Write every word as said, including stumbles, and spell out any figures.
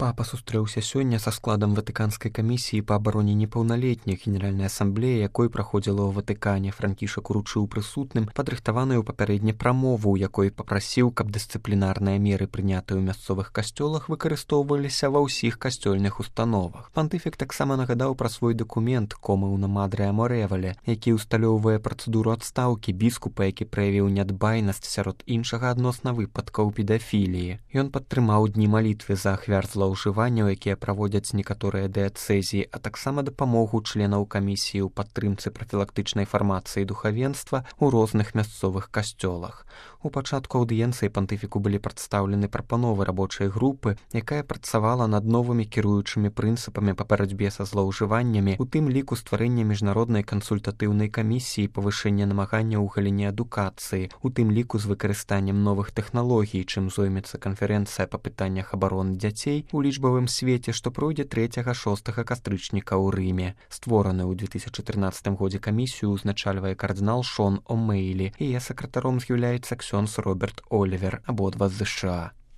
Папа сустрэўся сёння са складам Ватыканскай камісіі па абароне непаўналетніх Генеральнай асамблеі, якой праходзіла ў Ватыкане. Франкішак уручыў прысутным падрыхтаваную папярэдне прамову, у якой папрасіў, каб дысцыплінарныя меры, прынятыя ў мясцовых касцёлах, выкарыстоўваліся ва ўсіх касцёльных установах. Пантыфік таксама нагадаў пра свой дакумент «Комеуна Мадре Аморевале», які ўсталёўвае працэдуру адстаўкі біскупа, які праявіў нядбайнасць сярод іншага адносна выпадкаў педафіліі. Ён падтрымаў дні малітвы за ахвяр злоўжыванняў, якія праводзяць некаторыя дыяцэзіі, а таксама дапамогу членаў камісіі ў падтрымцы прафілактычнай фармацыі духавенства ў розных мясцовых касцёлах. У пачатку аўдыенцыі пантыфіку былі прадстаўлены прапановы рабочай групы, якая працавала над новымі кіруючымі прынцыпамі па барацьбе са злоўжываннямі, у тым ліку стварэння міжнароднай кансультатыўнай камісіі, павышэння намагання ў галіне адукацыі, у тым ліку з выкарыстаннем новых тэхналогій, чым зоймецца канферэнцыя па пытаннях абароны дзяцей у лічбавым свеце, што пройдзе трэцяга-шостага кастрычніка ў Рыме. Створаную ў две тысячы трынаццатым годзе камісію ўзначальвае кардынал Шон О'Мейлі, яе сакратаром з'яўляецца ксёндз Роберт Олівер, абодва з ЗША.